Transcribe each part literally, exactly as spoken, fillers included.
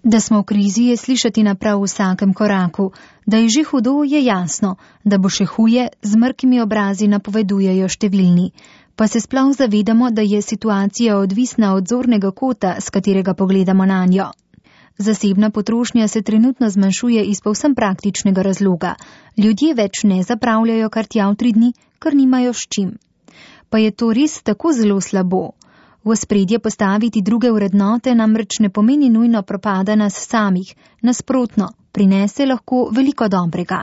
Da smo v krizi, je slišati na prav vsakem koraku. Da je že hudo, je jasno. Da bo še huje, z mrkimi obrazi napovedujejo številni. Pa se sploh zavedamo, da je situacija odvisna od zornega kota, s katerega pogledamo nanjo. Zasebna potrošnja se trenutno zmanjšuje iz povsem praktičnega razloga. Ljudje več ne zapravljajo kar tja v tri dni, ker nimajo s čim. Pa je to res tako zelo slabo? V ospredje postaviti druge vrednote namreč ne pomeni nujno propada nas samih, nasprotno, prinese lahko veliko dobrega.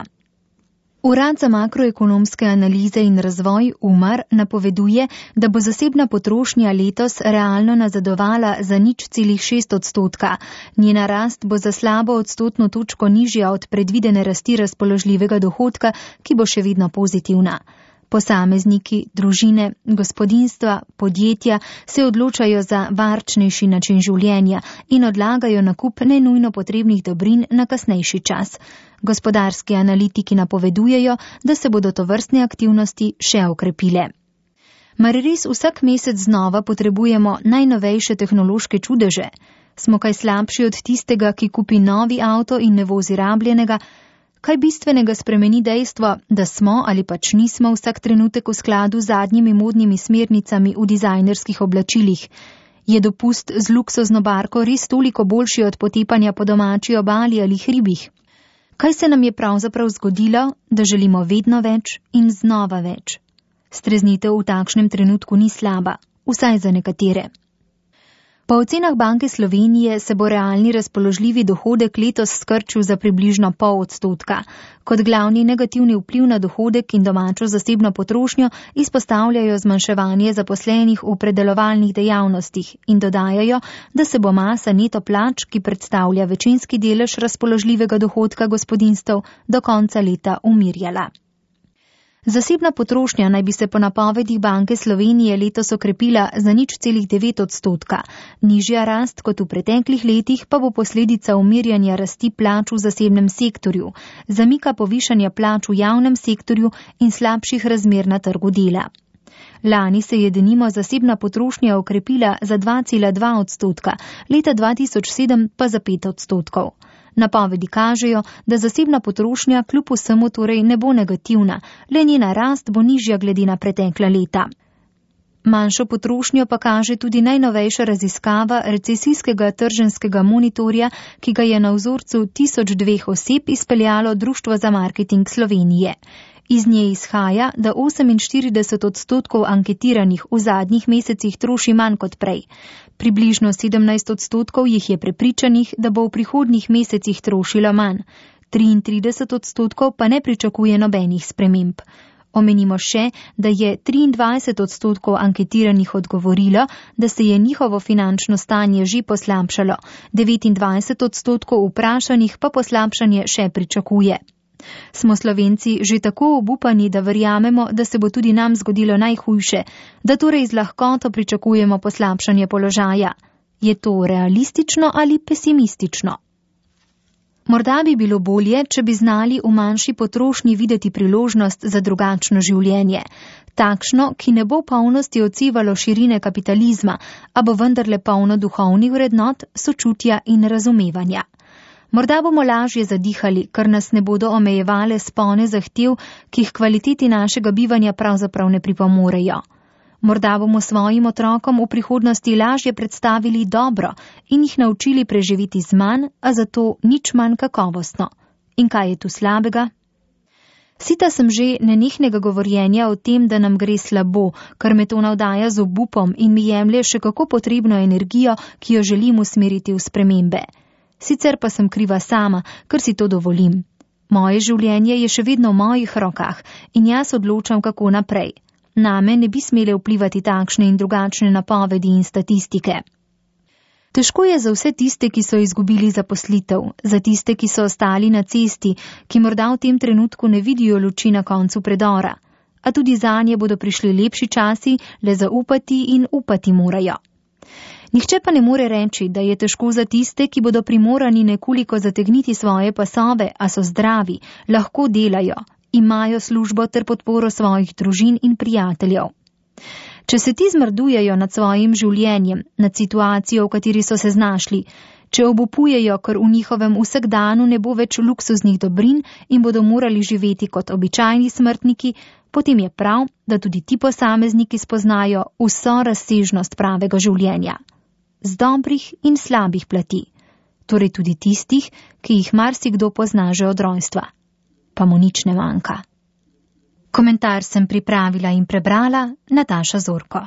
Urad za makroekonomske analize in razvoj U M A R napoveduje, da bo zasebna potrošnja letos realno nazadovala za nič celih šest odstotka. Njena rast bo za slabo odstotno točko nižja od predvidene rasti razpoložljivega dohodka, ki bo še vedno pozitivna. Posamezniki, družine, gospodinjstva, podjetja se odločajo za varčnejši način življenja in odlagajo nakup nenujno potrebnih dobrin na kasnejši čas. Gospodarski analitiki napovedujejo, da se bodo tovrstne aktivnosti še okrepile. Mar res vsak mesec znova potrebujemo najnovejše tehnološke čudeže? Smo kaj slabši od tistega, ki kupi novi avto in ne vozi rabljenega? Kaj bistvenega spremeni dejstvo, da smo ali pač nismo vsak trenutek v skladu z zadnjimi modnimi smernicami v dizajnerskih oblačilih? Je dopust z luksuzno barko res toliko boljši od potepanja po domači obali ali hribih? Kaj se nam je pravzaprav zgodilo, da želimo vedno več in znova več? Streznitev v takšnem trenutku ni slaba, vsaj za nekatere. Po ocenah Banke Slovenije se bo realni razpoložljivi dohodek letos skrčil za približno pol odstotka. Kot glavni negativni vpliv na dohodek in domačo zasebno potrošnjo izpostavljajo zmanjševanje zaposlenih v predelovalnih dejavnostih in dodajajo, da se bo masa neto plač, ki predstavlja večinski delež razpoložljivega dohodka gospodinjstev, do konca leta umirjala. Zasebna potrošnja naj bi se po napovedih Banke Slovenije letos okrepila za nič celih devet odstotka. Nižja rast kot v preteklih letih pa bo posledica umirjanja rasti plač v zasebnem sektorju, zamika povišanja plač v javnem sektorju in slabših razmer na trgu dela. Lani se je denimo zasebna potrošnja okrepila za dva cela dva odstotka, leta dva tisoč sedem pa za pet odstotkov. Napovedi kažejo, da zasebna potrošnja kljub vsemu torej ne bo negativna, le njena rast bo nižja glede na pretekla leta. Manjšo potrošnjo pa kaže tudi najnovejša raziskava recesijskega trženjskega monitorja, ki ga je na vzorcu tisoč dveh oseb izpeljalo Društvo za marketing Slovenije. Iz nje izhaja, da oseminštirideset odstotkov anketiranih v zadnjih mesecih troši manj kot prej. Približno sedemnajst odstotkov jih je prepričanih, da bo v prihodnjih mesecih trošilo manj. triintrideset odstotkov pa ne pričakuje nobenih sprememb. Omenimo še, da je triindvajset odstotkov anketiranih odgovorilo, da se je njihovo finančno stanje že poslabšalo, devetindvajset odstotkov vprašanih pa poslabšanje še pričakuje. Smo Slovenci že tako obupani, da verjamemo, da se bo tudi nam zgodilo najhujše, da torej z lahkoto pričakujemo poslabšanje položaja. Je to realistično ali pesimistično? Morda bi bilo bolje, če bi znali v manjši potrošnji videti priložnost za drugačno življenje. Takšno, ki ne bo v polnosti odsevalo širine kapitalizma, a bo vendarle polno duhovnih vrednot, sočutja in razumevanja. Morda bomo lažje zadihali, ker nas ne bodo omejevale spone zahtev, ki jih kvaliteti našega bivanja pravzaprav ne pripomorejo. Morda bomo svojim otrokom v prihodnosti lažje predstavili dobro in jih naučili preživeti z manj, a zato nič manj kakovostno. In kaj je tu slabega? Sita sem že nenehnega govorjenja o tem, da nam gre slabo, ker me to navdaja z obupom in mi jemlje še kako potrebno energijo, ki jo želim usmeriti v spremembe. Sicer pa sem kriva sama, ker si to dovolim. Moje življenje je še vedno v mojih rokah in jaz odločam, kako naprej. Name ne bi smele vplivati takšne in drugačne napovedi in statistike. Težko je za vse tiste, ki so izgubili zaposlitev, za tiste, ki so ostali na cesti, ki morda v tem trenutku ne vidijo luči na koncu predora. A tudi zanje bodo prišli lepši časi, le zaupati in upati morajo. Nihče pa ne more reči, da je težko za tiste, ki bodo primorani nekoliko zategniti svoje pasove, a so zdravi, lahko delajo, imajo službo ter podporo svojih družin in prijateljev. Če se ti zmrdujejo nad svojim življenjem, nad situacijo, v kateri so se znašli, Če obupujejo, ker v njihovem vsakdanu ne bo več luksuznih dobrin in bodo morali živeti kot običajni smrtniki, potem je prav, da tudi ti posamezniki spoznajo vso razsežnost pravega življenja, z dobrih in slabih plati, torej tudi tistih, ki jih marsikdo pozna že od rojstva, pa mu nič ne manjka. Komentar sem pripravila in prebrala Nataša Zorko.